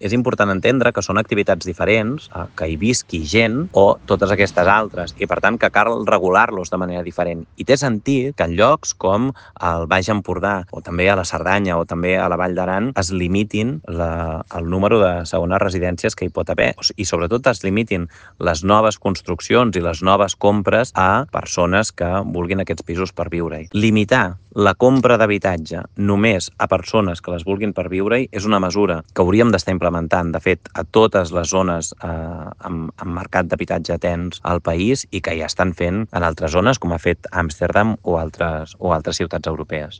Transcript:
És important entendre que són activitats diferents, que hi visqui gent o totes aquestes altres, i per tant que cal regular-los de manera diferent. I té sentit que en llocs com el Baix Empordà o també a la Cerdanya o també a la Vall d'Aran es limitin el número de segones residències que hi pot haver i sobretot es limitin les noves construccions i les noves compres a persones que vulguin aquests pisos per viure-hi. Limitar la compra d'habitatge només a persones que les vulguin per viure-hi és una mesura que hauríem d'estar implementant, de fet, a totes les zones amb mercat d'habitatge tens al país i que ja estan fent en altres zones, com ha fet Amsterdam o altres ciutats europees.